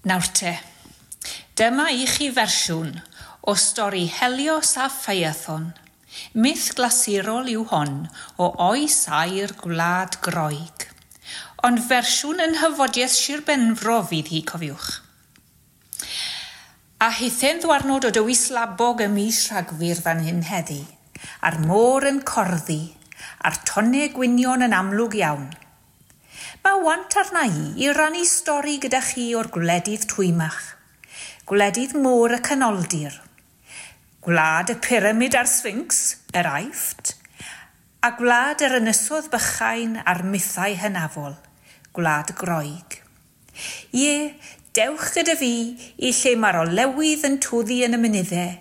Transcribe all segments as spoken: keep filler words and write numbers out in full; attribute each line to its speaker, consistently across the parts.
Speaker 1: Nawr te, dyma i chi fersiwn o stori Helios a Phaethon. Myth glasurol yw hon o oes aur Gwlad Groeg. Ond fersiwn yn hyfodiaeth Sir Benfro fydd hi, cofiwch. A hithe'n ddwarnod o dywys labog ym mis Rhagfyr fan hyn heddi, a'r môr yn corddi, a'r tonnau gwynion yn amlwg iawn. Mae want arna i i rannu stori gyda chi o'r gwledydd twymach, gwledydd môr y Canoldir, gwlad y pyramid a'r Sphinx, yr Aifft, a gwlad yr ynysodd bychain a'r mythau hynafol, gwlad Groeg. Ie, dewch gyda fi i lle mae'r olewydd yn twddu yn y mynyddau,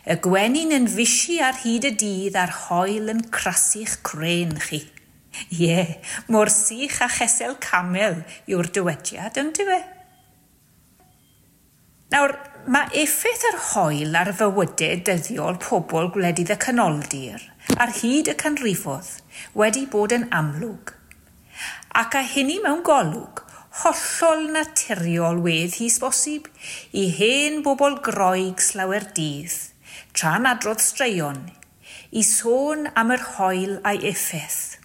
Speaker 1: y gwenyn yn fisi ar hyd y dydd a'r haul yn crasu'ch crên chi. Ie, mor sych a chesel camel yw'r dywediad, yndyfe? Nawr, mae effaith yr haul ar fywydau dyddiol pobl gwledydd y Canoldir ar hyd y canrifoedd wedi bod yn amlwg. Ac a hynny mewn golwg, hollol naturiol wedd hi bosib i hen bobl Groeg slawer dydd, tra'n adrodd straeon, i sôn am yr haul a'i effaith.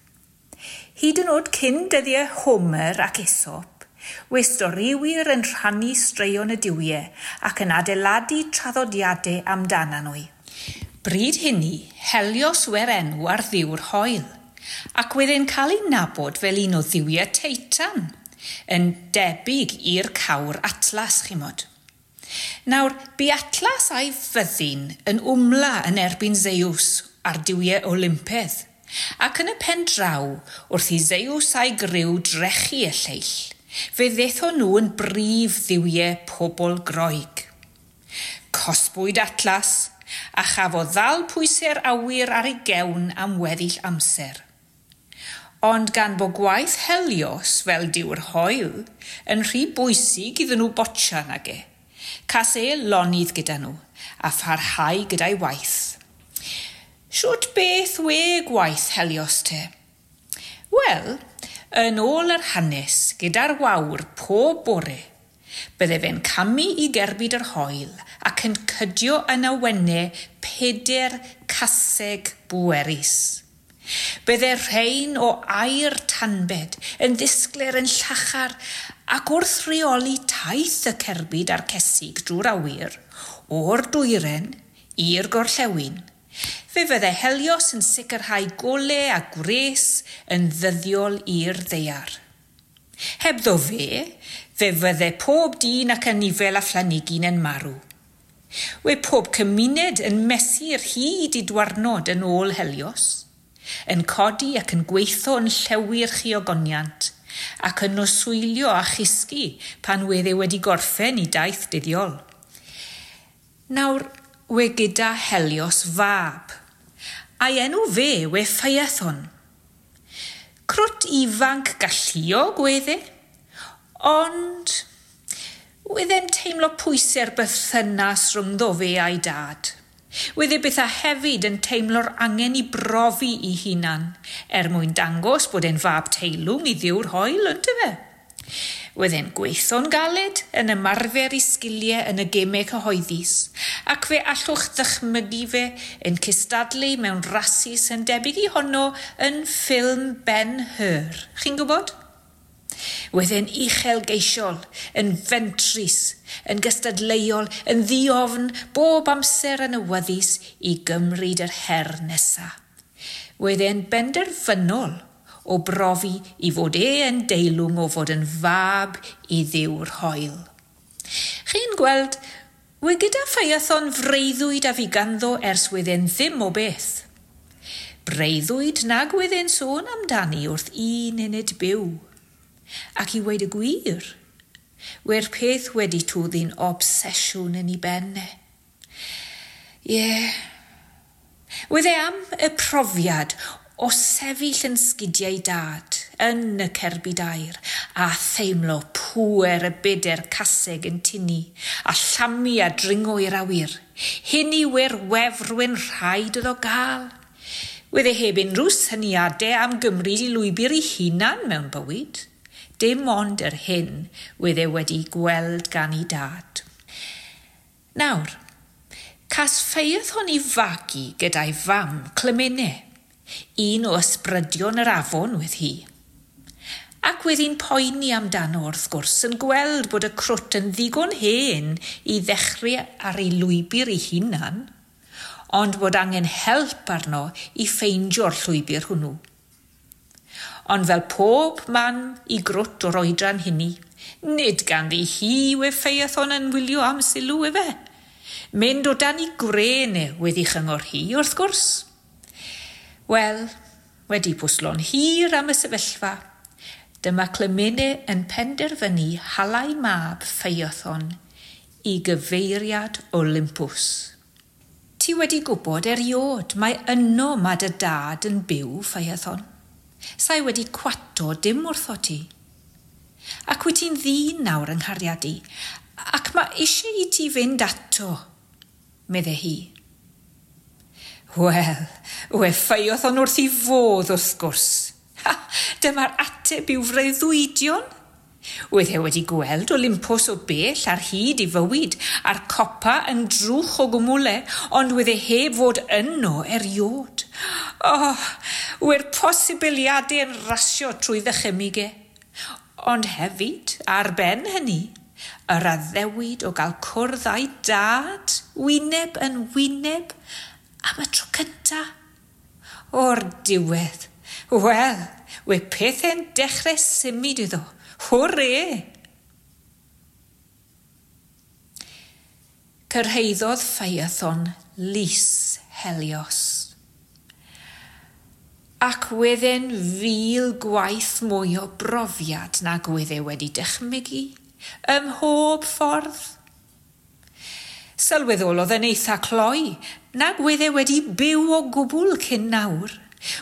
Speaker 1: Hyd yn oed cyn dyddiau Homer ac Aesop, we storiwyr yn rhannu straeon y duwiau ac yn adeiladu traddodiadau amdana nhw. Bryd hynny, Helios we'r enw ar dduw'r haul, ac wedd e'n cael ei nabod fel un o dduwiau Teitan, yn debyg i'r cawr Atlas, chimod. Nawr, bu Atlas a'i fyddin yn wmla yn erbyn Zeus a'r duwiau Olympedd, ac yn y pen draw, wrth i Zeus a'i griw drechu y lleill, fe ddethon nhw yn brif dduwiau pobl Groeg. Cosbwyd Atlas, a chafodd ddal pwysau'r awyr ar ei gewn am weddill amser. Ond gan bo gwaith Helios fel duw'r haul yn rhy bwysig iddyn nhw botsian ag e, cas e lonydd gyda nhw a pharhau gyda'i waith. Shwt beth we gwaith Helios te? Wel, yn ôl yr hanes, gyda'r wawr pob bore, bydde fe'n camu i gerbyd yr haul ac yn cydio yn awennau peder caseg bwerus. Bydde rhain o aur tanbed yn ddisglair yn llachar ac wrth reoli taith y cerbyd a'r cesig drwy'r awyr, o'r dwyren i'r gorllewin, fe fydde Helios yn sicrhau gole a gwres yn ddyddiol i'r ddaear. Hebddo fe, fe fydde pob dyn ac anifel a phlanhigyn yn marw. We pob cymuned yn mesur hyd i dwarnod yn ôl Helios, yn codi ac yn gweithio yn llewyrch i ogoniant, ac yn noswylio a chysgu pan wedd e wedi gorffen i daith dyddiol. Nawr, we gyda Helios fab, a'i enw fe we Phaethon. Crwt ifanc galluog wedd e, ond wedd e'n teimlo pwysau'r berthynas rhyngddo fe a'i dad. Wedd e byth a hefyd yn teimlo'r angen i brofi i hunan, er mwyn dangos bod e'n fab teilwng i dduw'r haul, yndyfe? Wedd e'n gweithio'n galed, yn ymarfer i sgiliau yn y gemau cyhoeddus, ac fe allwch ddychmygu fe yn cystadlu mewn rasus yn debyg i honno yn ffilm Ben-Hur. Chi'n gwybod? Wedd e'n uchelgeisiol, yn fentrus, yn gystadleuol, yn ddiofn, bob amser yn awyddus i gymryd yr her nesa. Wedd e'n benderfynol o brofi i fod e yn deilwng o fod yn fab i dduw'r haul. Chi'n gweld, we gyda Phaethon freuddwyd a fi ganddo ers wedd e'n ddim o beth. Breuddwyd nag wedd e'n sôn amdani wrth un munud byw. Ac i weud y gwir, we'r peth wedi twddi'n obsesiwn yn ei ben e. Ie, yeah. Wedd e am y profiad o sefyll yn sgidiau dad, yn y cerbyd aur, a theimlo pŵer y beder caseg yn tynnu, a llamu a dringo i'r awyr. Hynny we'r wefr we'n rhaid iddo gael. Wedd e heb unrhyw syniadau am gymryd i lwybr ei hunan mewn bywyd. Dim ond yr hyn wedd e wedi gweld gan ei dad. Nawr, cas Phaethon i fagu gyda'i fam Clymene, un o ysbrydion yr afon wedd hi. Ac wedd hi'n poeni amdano wrth gwrs yn gweld bod y crwt yn ddigon hen i ddechrau ar ei lwybr ei hunan, ond bod angen help arno i ffeindio'r llwybr hwnnw. Ond fel pob man i grwt o'r oedran hynny, nid ganddi hi we Phaethon yn wylio am sylw efe. Mynd o dan i gwren e wedi chyngor hi, wrth gwrs. Wel, wedi pwslo'n hir am y sefyllfa, dyma Clymene yn penderfynu halau mab Phaethon i gyfeiriad Olympus. Ti wedi gwybod eriod mae yno ma dy dad yn byw, Phaethon. Sa'i wedi cwato dim wrtho ti. Ac wyt ti'n ddyn nawr yng nghariad i, ac mae eisiau i ti fynd ato, medde hi. Wel, we Phaethon wrth i fodd wrth gwrs. Ha, dyma'r ateb i'w freuddwydion. Wedd e wedi gweld Olympus o bell ar hyd i fywyd, a'r copa yn drwch o gwmwle, ond wedd e heb fod yno eriod. Oh, we'r posibiliadau yn rasio trwy ddychymyg e. Ond hefyd, ar ben hynny, yr addewid o gael cwrdd â'i dad, wyneb yn wyneb, am y tro cynta. O'r diwedd, wel, we pethau'n dechrau symud iddo. Hwrê! Cyrhaeddodd Phaethon lys Helios. Ac wedd e'n fil gwaith mwy o brofiad nag wedd e wedi dychmygu, ym mhob ffordd. Sylweddolodd yn eitha cloi, nag wedd e wedi byw o gwbl cyn nawr.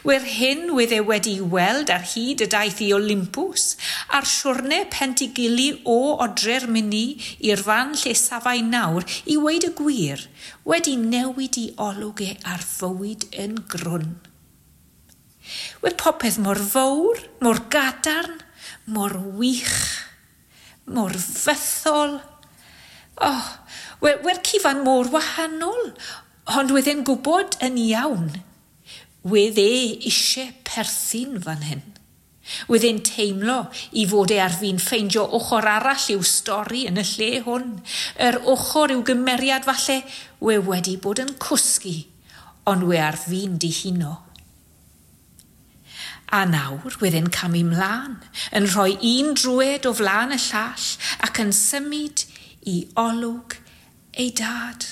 Speaker 1: We'r hyn wedd e wedi weld ar hyd y daith i Olympus, a'r siwrne pentigili o odre'r myni i'r fan lle safai nawr i weud y gwir, wedi newid i olwg e ar fywyd yn grwn. We popeth mor fawr, mor gadarn, mor wych, mor fythol. Oh, we, we'r cyfan mor wahanol, ond wedd e'n gwybod yn iawn. Wedd e eisiau perthyn fan hyn. Wedd e'n teimlo i fod e ar fin ffeindio ochr arall i'w stori yn y lle hwn. Yr ochr i'w gymeriad falle, we wedi bod yn cwsgu, ond we ar fin dihuno. A nawr wedd e'n camu mlaen, yn rhoi un drwed o flaen y llall ac yn symud i olwg ei dad.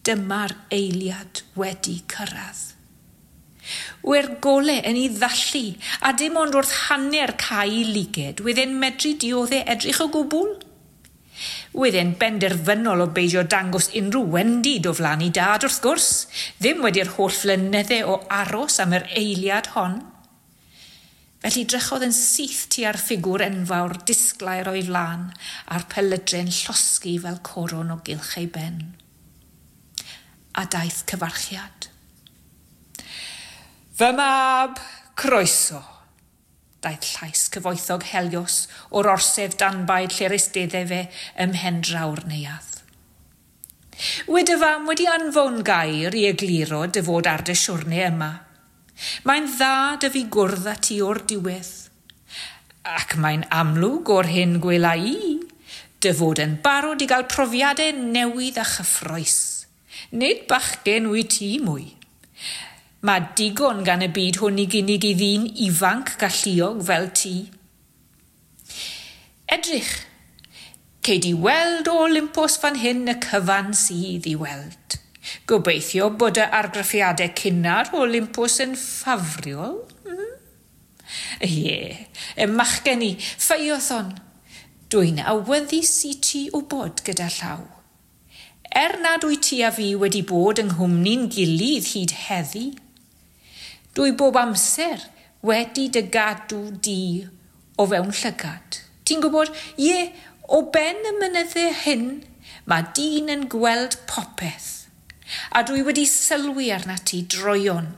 Speaker 1: Dyma'r eiliad wedi cyrraedd. We'r gole yn ei ddallu, a dim ond wrth hanner cau liged, wedd e'n medru dioddau edrych o gwbl. Wedd e'n benderfynol o beidio dangos unrhyw wendid o flaen ei dad wrth gwrs, ddim wedi'r holl flynyddau o aros am yr eiliad hon. Felly drychodd yn syth tua'r ffigwr enfawr disglair o'i flaen a'r pelydre'n llosgi fel coron o gylch ei ben. A daeth cyfarchiad. Fy mab, croeso, daeth llais cyfoethog Helios o'r orsedd danbaid lle'r eisteddai fe ym mhendraw'r neuadd. Wed y fam wedi anfon gair i egluro dy fod ar dy siwrne yma. Mae'n dda dy fi gwrdd â ti o'r diwedd. Ac mae'n amlwg o'r hyn gwela i, dy fod yn barod i gael profiadau newydd a chyffrous. Nid bachgen wyt ti mwy. Mae digon gan y byd hwn i gynnig i ddyn ifanc galluog fel ti. Edrych, cei di weld o Olympus fan hyn y cyfan sydd i weld. Gobeithio bod y argraffiadau cynnar o Olympus yn ffafriol. Mm? Ie, y machgen i, Phaethon. Dwi'n awyddus i ti wybod gyda llaw. Er nad wyt ti a fi wedi bod yng nghwmni'n gilydd hyd heddi, dwi bob amser wedi dy gadw di o fewn llygad. Ti'n gwybod, ie, o ben y mynyddau hyn, mae dyn yn gweld popeth. A dwi wedi sylwi arna ti droion.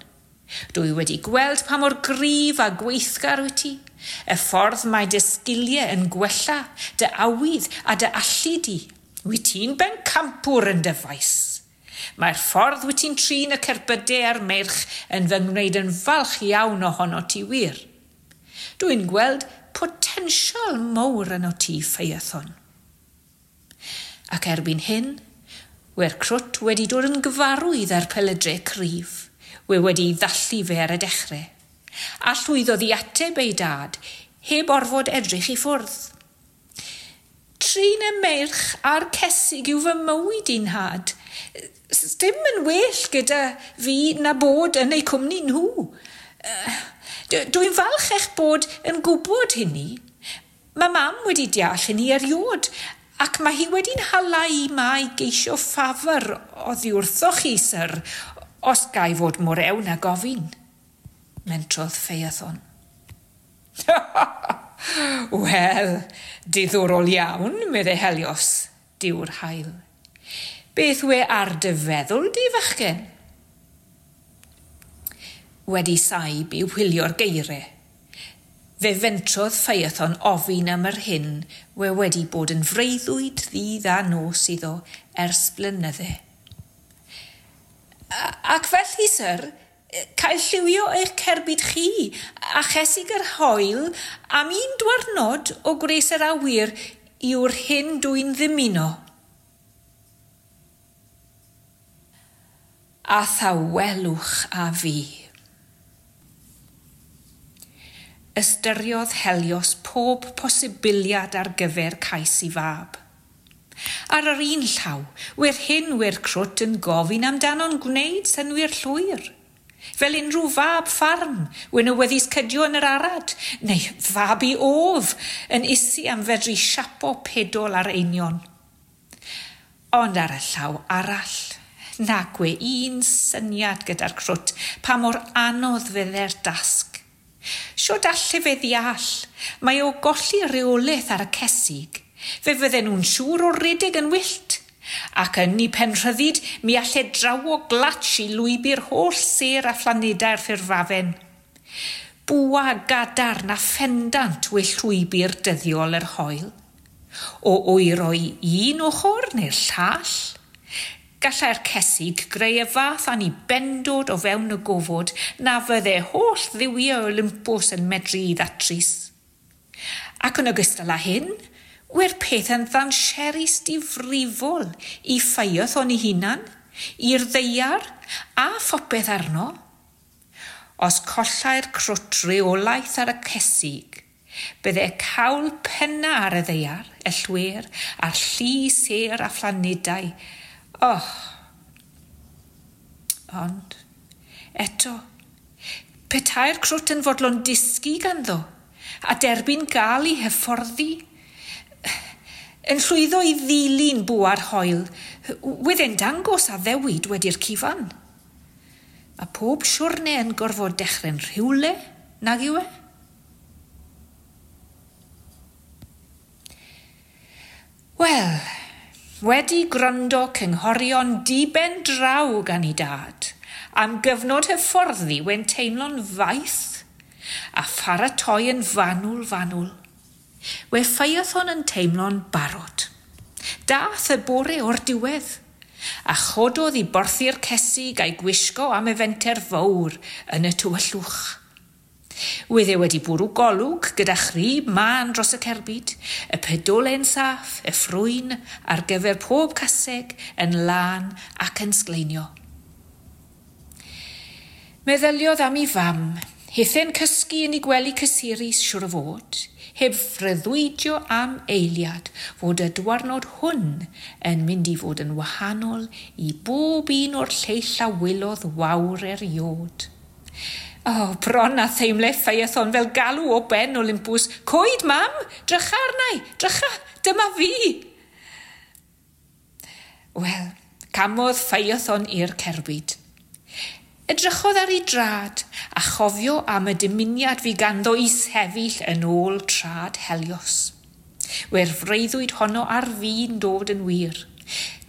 Speaker 1: Dwi wedi gweld pa mor gryf a gweithgar wyt ti, Y ffordd mae dy sgiliau yn gwella, dy awydd a dy allu di. Wyt ti'n bencampwr yn dy faes. Mae'r ffordd wyt ti'n trin y cerbydau a'r meirch yn fy ngwneud yn falch iawn ohono ti wir. Dwi'n gweld potensial mawr yno ti, Phaethon. Ac erbyn hyn, we'r crwt wedi dod yn gyfarwydd â'r pelydrau cryf, we wedi ddallu fe ar y dechrau, a llwyddodd i ateb ei dad heb orfod edrych i ffwrdd. Trin y meirch a'r cesig yw fy mywyd i'n nhad. Dim yn well gyda fi na bod yn eu cwmni nhw. Dwi'n falch eich bod yn gwybod hynny. Mae mam wedi deall hynny eriod, ac mae hi wedi'n hala i ma i geisio ffafr oddi wrthoch chi, syr, os ga i fod mor ewn a gofyn, mentrodd Phaethon. Wel, diddorol iawn, meddai Helios, duw'r haul. Beth we ar dy feddwl di, fachgen? Wedi saib i wylio'r geiriau, fe fentrodd Phaethon ofyn am yr hyn we wedi bod yn freuddwyd ddydd a nos iddo ers blynydde. Ac felly, syr, cael lliwio eich cerbyd chi a chesig yr haul am un dwrnod o gwres yr awyr yw'r hyn dwi'n ddymuno. A thawelwch a fi. Ystyriodd Helios pob posibiliad ar gyfer cais i fab. Ar yr un llaw, we'r hyn we'r crwt yn gofyn amdano'n gwneud synnwyr llwyr. Fel unrhyw fab ffarm, wen awyddus cydio yn yr arad, neu fab i of, yn ysu am fedru siapo pedol ar einio'n. Ond ar y llaw arall, nag we un syniad gyda'r crwt pa mor anodd fydde'r dasg. Siwt alle fe ddeall, mae o golli reolaeth ar y cesig, fe fydden nhw'n siŵr o redeg yn wyllt, ac yn ei penrhyddid mi alle drawo glatsh i lwybr holl sêr a phlanedau'r ffurfafen. Bwa gadarn a phendant we llwybr dyddiol yr haul. O oero i un ochr neu'r llall, gallai'r cesig greu y fath anibendod o fewn y gofod na fydde holl dduwiau Olympus yn medru i ddatrys. Ac yn ogystal â hyn, we'r peth yn ddanserus difrifol i Phaethon ei hunan, i'r ddaear a phopeth arno. Os collai'r crwt reolaeth ar y cesig, bydde cawl penna ar y ddaear, y llwyr, a'r llu sêr a phlanedau. Oh, ond, eto, petai'r crwt yn fodlon disgu ganddo, a derbyn gael ei hyfforddi, yn llwyddo i ddilyn bwa'r haul, wedd e'n dangos addewid wedi'r cyfan. Mae pob siwrne yn gorfod dechrau'n rhywle, nag yw e? Wel, wedi gwrando cynghorion diben draw gan ei dad, am gyfnod hyfforddi wen teimlo'n faith, a pharatoi yn fanwl fanwl. We Phaethon yn teimlo'n barod. Dath y bore o'r diwedd, a chododd i borthi'r cesig a'i gwisgo am y fenter fawr yn y tywyllwch. Wedd e wedi bwrw golwg gyda chrib mân dros y cerbyd, y pedolen saff, y ffrwyn ar gyfer pob caseg yn lân ac yn sgleinio. Meddyliodd am ei fam, hithen cysgu yn ei gwely cysurus siŵr o fod, heb freuddwydio am eiliad fod y dwarnod hwn yn mynd i fod yn wahanol i bob un o'r lleill a wylodd wawr eriod. Oh, bron a theimle Phaethon fel galw o ben Olympus. Coed, mam! Drycha arnau! Drycha! Dyma fi! Wel, camodd Phaethon i'r cerbyd. Edrychodd ar ei drad a chofio am y dymuniad fi ganddo i sefyll yn ôl trad Helios. We'r freuddwyd honno ar fin dod yn wir.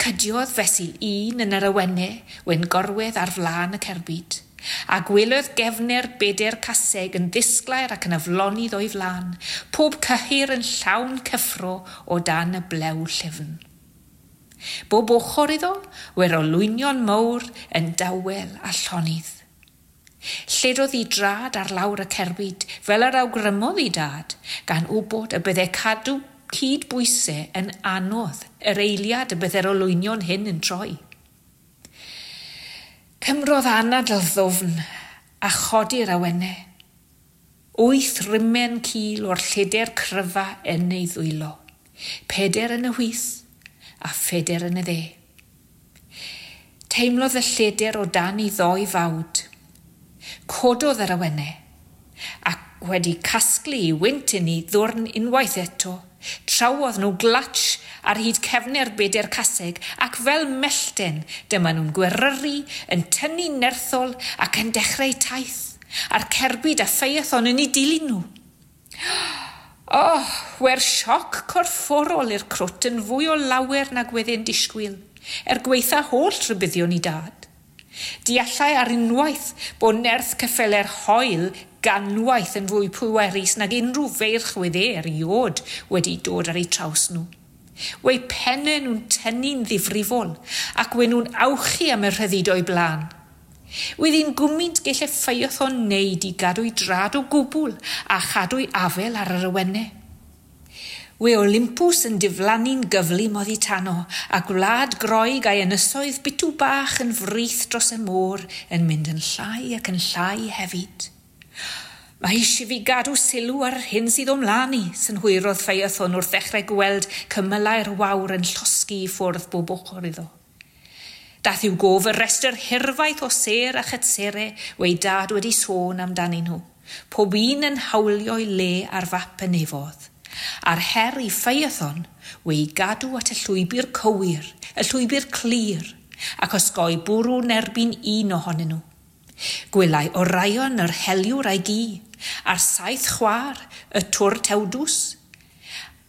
Speaker 1: Cydiodd fesul un yn yr awennau, wen gorwedd ar flaen y cerbyd, A gwelodd gefner beder caseg yn ddisglair ac yn aflonydd o'i flan, pob cyhyr yn llawn cyffro o dan y blew llyfn. Bob ochr iddo, wer olwynion mawr yn dawel a llonydd. Lledodd ei drad ar lawr y cerbyd, fel yr awgrymodd ei dad, gan wybod y byddai cadw cydbwysau yn anodd yr eiliad y byddai'r olwynion hyn yn troi. Cymrodd anadl ddwfn a chodi'r awennau. Wyth rimen cil o'r lleder cryfa yn ei ddwylo. Peder yn y chwith a pheder yn y dde. Teimlodd y lleder o dan ei ddoi fawd. Cododd yr awennau ac wedi casglu ei wynt yn ei ddwrn unwaith eto, trawodd nhw glatsh ar hyd cefnau'r beder caseg ac fel mellten dyma nhw'n gweryru, yn tynnu nerthol ac yn dechrau taith, a'r cerbyd a Phaethon yn ei dilyn nhw. Oh, wer sioc corfforol i'r crwt yn fwy o lawer nag wedyn disgwyl, er gweitha holl rhybuddion i dad. Deallai ar unwaith bod nerth ceffyle'r hoel ganwaith yn fwy pwerus nag unrhyw feirch wedd e erioed wedi dod ar eu traws nhw. Wei pennau nhw'n tynnu'n ddifrifol ac we nhw'n awchu am y rhyddid o'i blaen. Wedd hi'n gwmynt gelle Phaethon wneud i gadw'i drad o gwbl a chadw'i afel ar yr awennau. We Olympus yn diflannu'n gyflym oddi tano a gwlad Groeg a'i ynysoedd bitw bach yn frith dros y môr yn mynd yn llai ac yn llai hefyd. Mae eisiau fi gadw sylw ar yr hyn sydd o'm mlaen i, synhwyrodd Phaethon wrth ddechrau gweld cymylau'r wawr yn llosgi i ffwrdd bob ochr iddo. Dath i'w gof y restr hirfaith o sêr a chytsere wei dad wedi sôn amdanyn nhw, pob un yn hawlio'i le ar fap y nefodd. A'r her i Phaethon wei gadw at y llwybr cywir, y llwybr clir, ac osgoi bwrw'n erbyn un ohonyn nhw. Gwelai Orion yr heliwr a'i gi, a'r saith chwaer, y twr tewdws,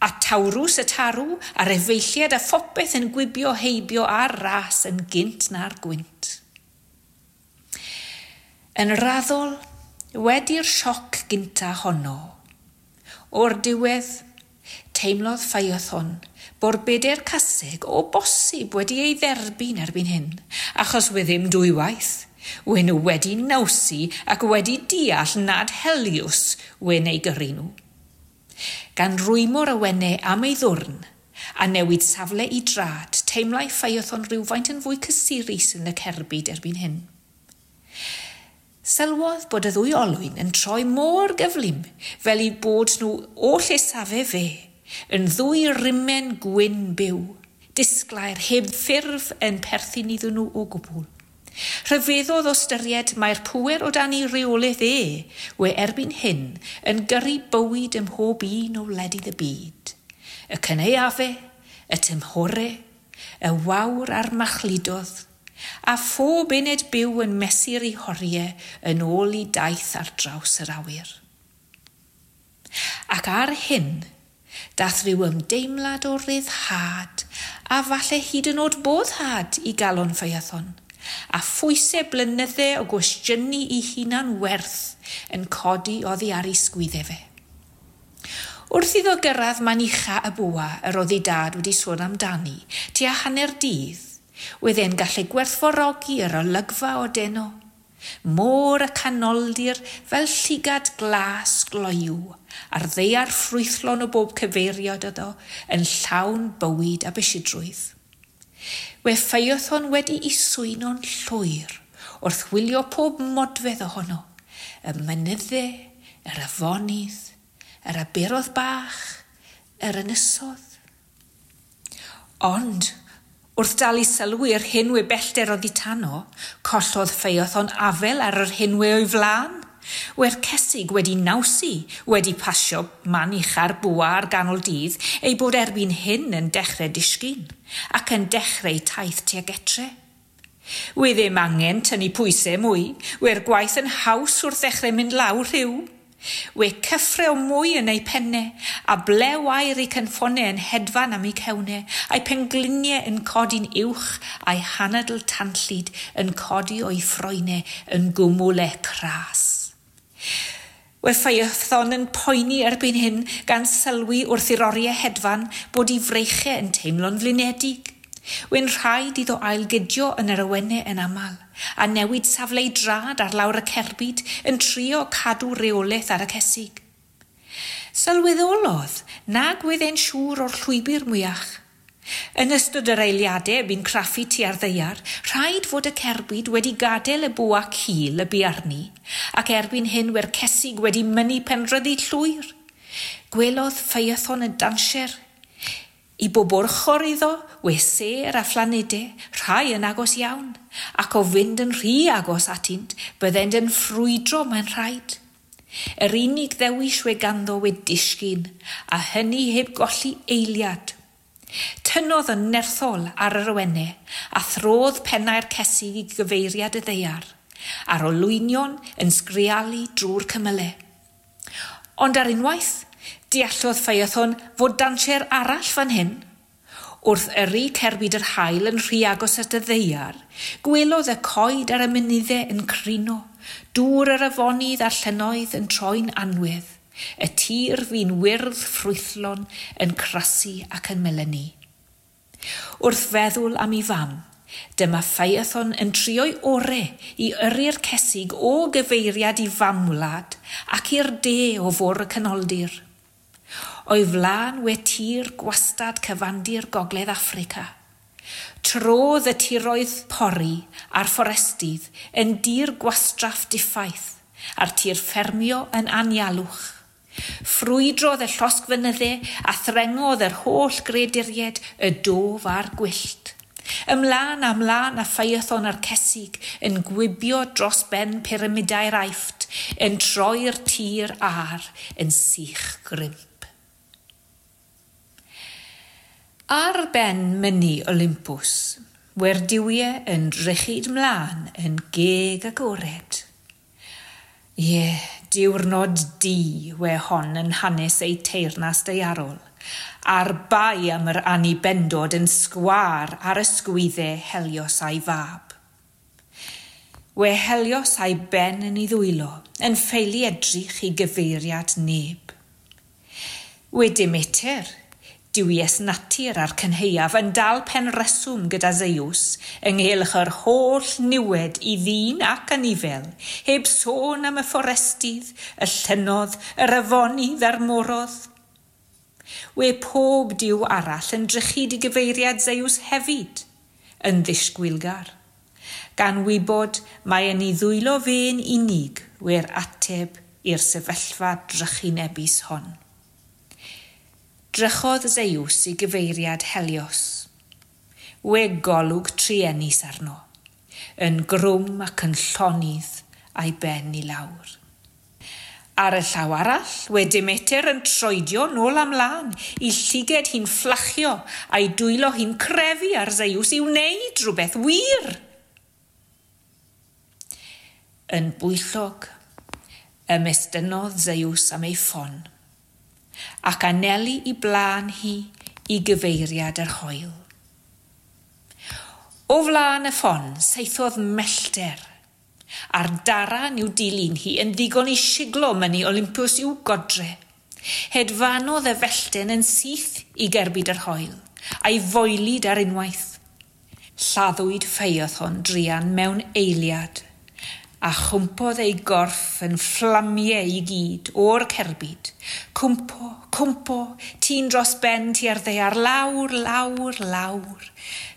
Speaker 1: a Taurus y tarw, a'r efeilliad a phopeth yn gwibio heibio ar ras yn gynt na'r gwynt. Yn raddol, wedi'r sioc gynta honno, o'r diwedd, teimlodd Phaethon bo'r beder caseg o bosib wedi ei dderbyn erbyn hyn, achos we ddim dwywaith. We nhw wedi nawsu ac wedi deall nad Helios we'n ei gyrru nhw. Gan rwymo'r awennau am ei ddwrn a newid safle i drad, teimlai Phaethon rhywfaint yn fwy cysurus yn y cerbyd erbyn hyn. Sylwodd bod y ddwy olwyn yn troi mor gyflym fel eu bod nhw o lle safe fe, yn ddwy rimen gwyn byw, disglair heb ffurf yn perthyn iddyn nhw o gwbl. Rhyfeddodd o ystyried mae'r pŵer o dan ei reolaeth e, we erbyn hyn yn gyrru bywyd ym mhob un o wledydd y byd. Y cynaeafe, y tymhore, y wawr a'r machludodd, a phob uned byw yn mesur ei horiau yn ôl i daith ar draws yr awyr. Ac ar hyn, dath rhyw ymdeimlad o ryddhad, a falle hyd yn oed boddhad i galon Phaethon, a phwysau blynydde o gwestiynu i hunan werth yn codi oddi ar ei sgwyddau fe. Wrth iddo gyrraedd man ucha y bwa yr oedd ei dad wedi sôn amdani, tua hanner dydd, wedd e'n gallu gwerthfawrogi yr olygfa o deno. Môr y canoldir fel llygad glas gloyw, a'r ddaear ffrwythlon o bob cyfeiriad iddo yn llawn bywyd a bysidrwydd. We Phaethon wedi ei swyno'n llwyr wrth wylio pob modfedd ohono, y mynydde, yr afonydd, yr aberodd bach, yr ynysodd. Ond, wrth dal i sylwi yr hyn we bellter oddi tano, collodd Phaethon afel ar yr hyn we o'i flan. We'r cesig wedi nawsu, wedi pasio man ucha'r bwa ar ganol dydd, ei bod erbyn hyn yn dechrau disgyn, ac yn dechrau taith tuag etre. We ddim angen tynnu pwysau mwy, we'r gwaith yn haws wrth ddechrau mynd lawr rhyw. We cyffre o mwy yn ei penne, a blew air ei cynffonau yn hedfan am ei cewnau, a'i pengliniau yn codi'n uwch, a'i hanadl tanllyd yn codi o'i ffroenau yn gwmwle cras. We Phaethon yn poeni erbyn hyn gan sylwi wrth i'r oriau hedfan bod ei freichau yn teimlo'n flinedig. We'n rhaid iddo ailgydio yn yr awennau yn aml, a newid safle ei drad ar lawr y cerbyd yn trio cadw reolaeth ar y cesig. Sylweddolodd nag wedd e'n siŵr o'r llwybr mwyach. Yn ystod yr eiliadau bu'n craffu tua'r ddaear, rhaid fod y cerbyd wedi gadael y bwa cul y bu arni, ac erbyn hyn we'r cesig wedi mynnu penrhyddu llwyr. Gwelodd Phaethon y danser. I bob ochr iddo, we sêr a phlanedau, rhai yn agos iawn, ac o fynd yn rhy agos atynt, byddent yn ffrwydro mae'n rhaid. Yr unig ddewis we ganddo we disgyn, a hynny heb golli eiliad. Tynnodd yn nerthol ar yr awennau a throdd pennau'r cesig i gyfeiriad y ddaear, a'r olwynion yn sgrialu drwy'r cymylau. Ond ar unwaith, deallodd Phaethon fod danser arall fan hyn. Wrth yrru cerbyd yr haul yn rhy agos at y ddaear, gwelodd y coed ar y mynyddau yn crino, dŵr yr afonydd a'r llynnoedd yn troi'n anwedd, y tir fu'n wyrdd ffrwythlon yn crasu ac yn melynu. Wrth feddwl am ei fam, dyma Phaethon yn trio'i ore i yrru'r cesig o gyfeiriad i famwlad ac i'r de o fôr y Canoldir. O'i flaen we tir gwastad cyfandir Gogledd Affrica. Trodd y tiroedd pori a'r fforestydd yn dir gwastraff diffaith a'r tir ffermio yn anialwch. Ffrwydrodd y llosgfynyddau a threngodd yr holl greduried y dof a'r gwyllt. Ymlaen a mlaen a Phaethon a'r cesig yn gwibio dros ben pyramidau'r Aifft, yn troi'r tir ar yn sych grimp. Ar ben myny Olympus, we'r duwiau yn drychyd mlaen yn geg agored. Ie, diwrnod du we hon yn hanes ei teyrnas daearol, a'r bai am yr annibendod yn sgwâr ar ysgwyddau Helios a'i fab. We Helios a'i ben yn ei ddwylo, yn ffeili edrych i gyfeiriad neb. We Demeter, duwies natur a'r cynhaeaf yn dal pen reswm gyda Zeus ynghylch yr holl niwed i ddyn ac anifel, heb sôn am y fforestydd, y llynnodd, yr afonydd a'r morodd. We pob duw arall yn drychyd i gyfeiriad Zeus hefyd, yn ddisgwylgar, gan wybod mae yn ei ddwylo fe'n unig we'r ateb i'r sefyllfa drychinebus hon. Drychodd Zeus i gyfeiriad Helios. We golwg truenus arno, yn grwm ac yn llonydd a'i ben i lawr. Ar y llaw arall, we Demeter yn troedio nôl am lan, i llyged hi'n fflachio a'i dwylo hi'n crefu ar Zeus i wneud rhywbeth wir. Yn bwyllog, ymestynnodd Zeus am ei ffon, ac anelu i blaen hi i gyfeiriad yr hoel. O flaen y ffon, saethodd mellter, a'r daran i'w dilyn hi yn ddigon i siglo myny Olympus i'w godre. Hedfanodd y fellten yn syth i gerbyd yr hoel, a'i foelid ar unwaith. Lladdwyd Phaethon druan mewn eiliad, a chwmpodd ei gorff yn fflamiau i gyd o'r cerbyd. Cwmpo, cwmpo, tîn dros ben tua'r ddaear, lawr, lawr, lawr,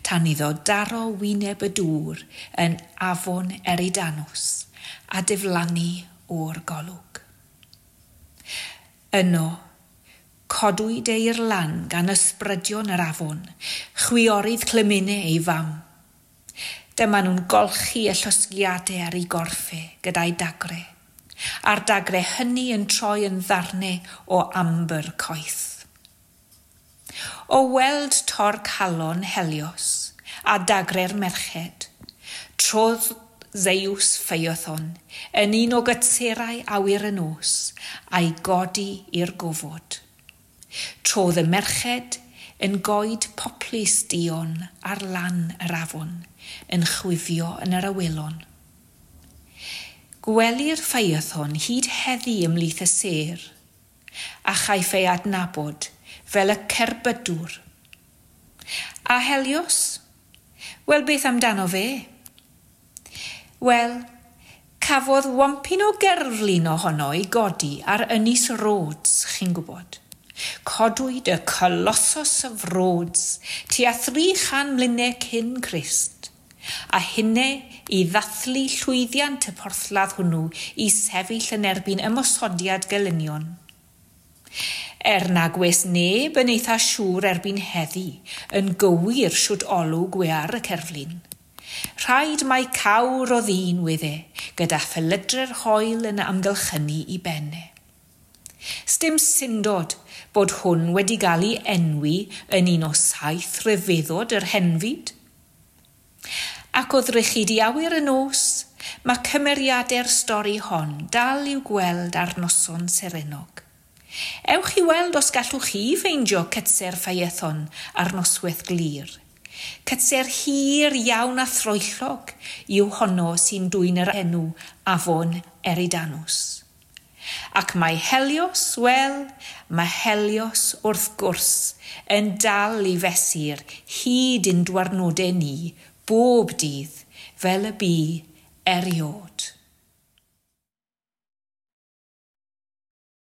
Speaker 1: tan iddo daro wyneb y dŵr yn afon Eridanus a diflannu o'r golwg. Yno, codwyd ei i'r lan gan ysbrydion yr afon, chwiorydd Clymene ei fam. Dyma nhw'n golchi y llosgiadau ar ei gorffe gyda'i dagre, a'r dagre hynny yn troi yn ddarnau o ambr coeth. O weld tor calon Helios a dagre'r merched, trodd Zeus Phaethon yn un o gytserau awyr y nos a'i godi i'r gofod. Trodd y merched yn goed poplys duon ar lan yr afon, yn chwifio yn yr awelon. Gwelir Phaethon hyd heddi ymhlith y sêr, a chaiff ei adnabod fel y cerbydwr. A Helios? Wel, beth amdano fe? Wel, cafodd wampyn o gerflun ohono ei godi ar Ynys Rhodes, chi'n gwybod. Codwyd y Colossus of Rhodes tua thri chan mlynedd cyn Crist, a hynny i ddathlu llwyddiant y porthladd hwnnw i sefyll yn erbyn ymosodiad gelynion. Er nag oes neb yn eitha siŵr erbyn heddi yn gywir siwt olwg we ar y cerflun. Rhaid mai cawr o ddyn wedd e, gyda phelydrau'r haul yn amgylchynu i benne. Sdim syndod bod hwn wedi gael ei enwi yn un o saith rhyfeddod yr henfyd. Ac o ddrych i awyr y nos, mae cymeriadau'r stori hon dal i'w gweld ar noson serennog. Ewch i weld os gallwch chi ffeindio cytser Phaethon ar noswaith glir. Cytser hir iawn a throellog yw honno sy'n dwyn yr enw Afon Eridanus. Ac mae Helios, wel, mae Helios wrth gwrs yn dal i fesur hyd ein dwarnodau ni bob dydd fel y bu erioed.